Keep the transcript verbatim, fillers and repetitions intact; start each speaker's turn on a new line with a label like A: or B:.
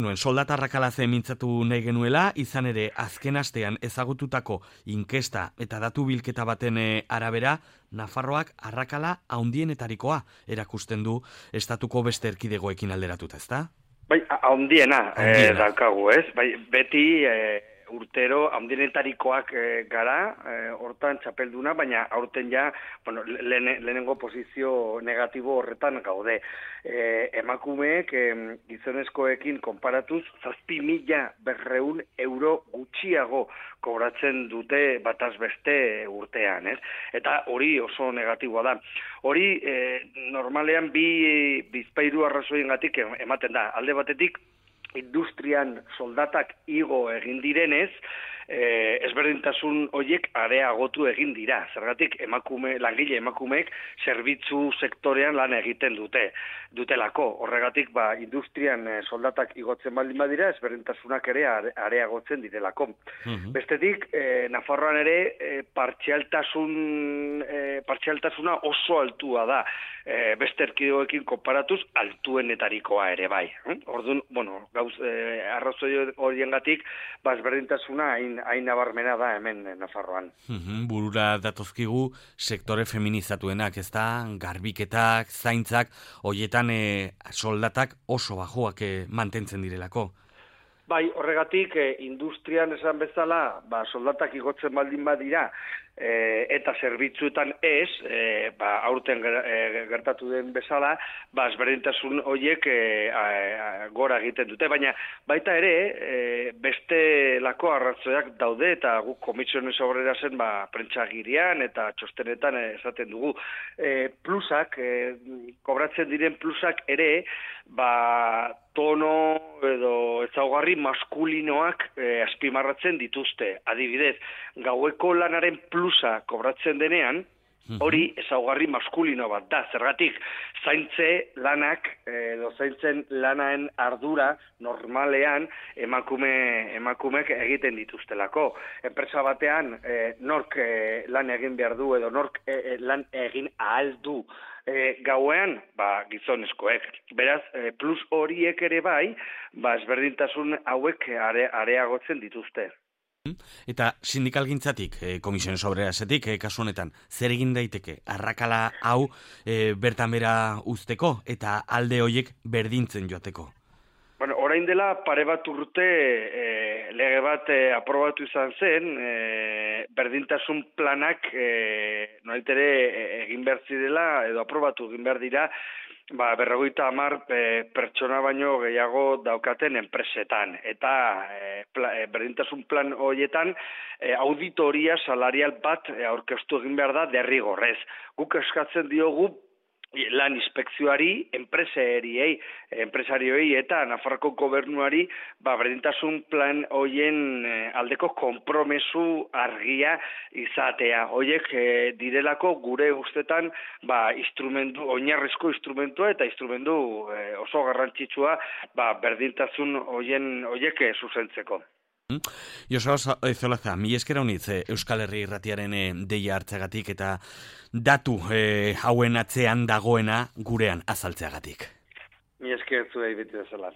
A: Nuen soldata arrakalaze mintzatu nahi genuela, izan ere azken astean ezagututako inkesta eta datu bilketa baten arabera, Nafarroak arrakala haundienetarikoa erakusten du estatuko beste erkidegoekin alderatuta, ezta?
B: Bai, haundiena, eh, daukagu, ez? Bai, beti eh, urtero haundienetarikoak eh, gara, eh, hortan txapelduna, baina aurten ja, bueno, lehen, lehenengo posizio negatibo horretan gaude. Eh, emakumeek eh, gizonezkoekin konparatuz, zazpi mila berreun euro gutxiago kobratzen dute bataz beste urtean, ez? Eta hori oso negatiboa da. Hori eh, normalean bi bizpairu arrazoiengatik ematen da. Alde batetik, industrian soldatak igo egin direnez, eh, ezberdintasun horiek areagotu egin dira. Zergatik emakume, langile emakumeek zerbitzu sektorean lan egiten dute, dutelako. Horregatik, ba, industrian eh, soldatak igotzen baldin badira, ezberdintasunak ere are, areagotzen direlako. Mm-hmm. Bestetik, eh, Nafarroan ere eh, partzialtasun, eh, partzialtasuna oso altua da. Eh, beste erkidegoekin konparatuz, altuenetarikoa ere bai. Hm? Orduan, bueno, gauz, eh, arrazoi horiengatik, ba, ezberdintasuna hain hain nabarmena da hemen Nafarroan.
A: Uhum, burura datozkigu sektore feminizatuenak, ez da, garbiketak, zaintzak, hoietan e, soldatak oso bajoak e, mantentzen direlako.
B: Bai, horregatik, e, industrian esan bezala, ba, soldatak igotzen baldin badira, e, eta zerbitzuetan ez, e, ba, aurten gertatu den bezala, ba, ezberdintasun horiek e, a, a, gora egiten dute, baina baita ere, e, beste lako arrazoiak daude, eta guk Komisiones Obrera zen, ba, prentxagirian eta txostenetan esaten dugu. E, plusak, e, kobratzen diren plusak ere, ba, tono edo ezaugarri maskulinoak e, azpimarratzen dituzte. Adibidez, gaueko lanaren plusa kobratzen denean, hori ezaugarri maskulino bat da. Zergatik, zaintze lanak edo zaintzen lanaen ardura normalean emakume emakumek egiten dituztelako. Enpresa batean e, nork e, lan egin behar du edo nork e, lan egin ahal du e, gauean, ba, gizonezkoek. Beraz, e, plus horiek ere bai, ba, ezberdintasun hauek are, areagotzen dituzte.
A: Eta sindikalgintzatik, e, Komisiones Obrerasetik, e, kasu honetan, zer egin daiteke arrakala hau e, bertan bera uzteko eta alde hoiek berdintzen joateko?
B: Bueno, orain dela pare bat urte e, lege bat e, aprobatu izan zen, e, berdintasun planak e, noitere e, egin behar zirela edo aprobatu egin behar dira, ba, berrogeita hamar e, pertsona baino gehiago daukaten enpresetan. Eta e, pla, e, berdintasun plan horietan e, auditoria salarial bat e, aurkeztu egin behar da derrigorrez. Guk eskatzen diogu lan inspekzioari, enpresariei, enpresarioei eta Nafarroko gobernuari ba, berdintasun plan hoien aldeko konpromesu argia izatea. Hoiek e, direlako gure ustetan ba, instrumentu, oinarrizko instrumentua eta instrumentu e, oso garrantzitsua ba, berdintasun hoien hoiek e, zuzentzeko.
A: Joseba Zolaza, mi eskera honitz Euskal Herri Irratiaren deia hartzeagatik eta datu e, hauen atzean dagoena gurean azaltzeagatik.
B: Mi esker zuei beti bezala.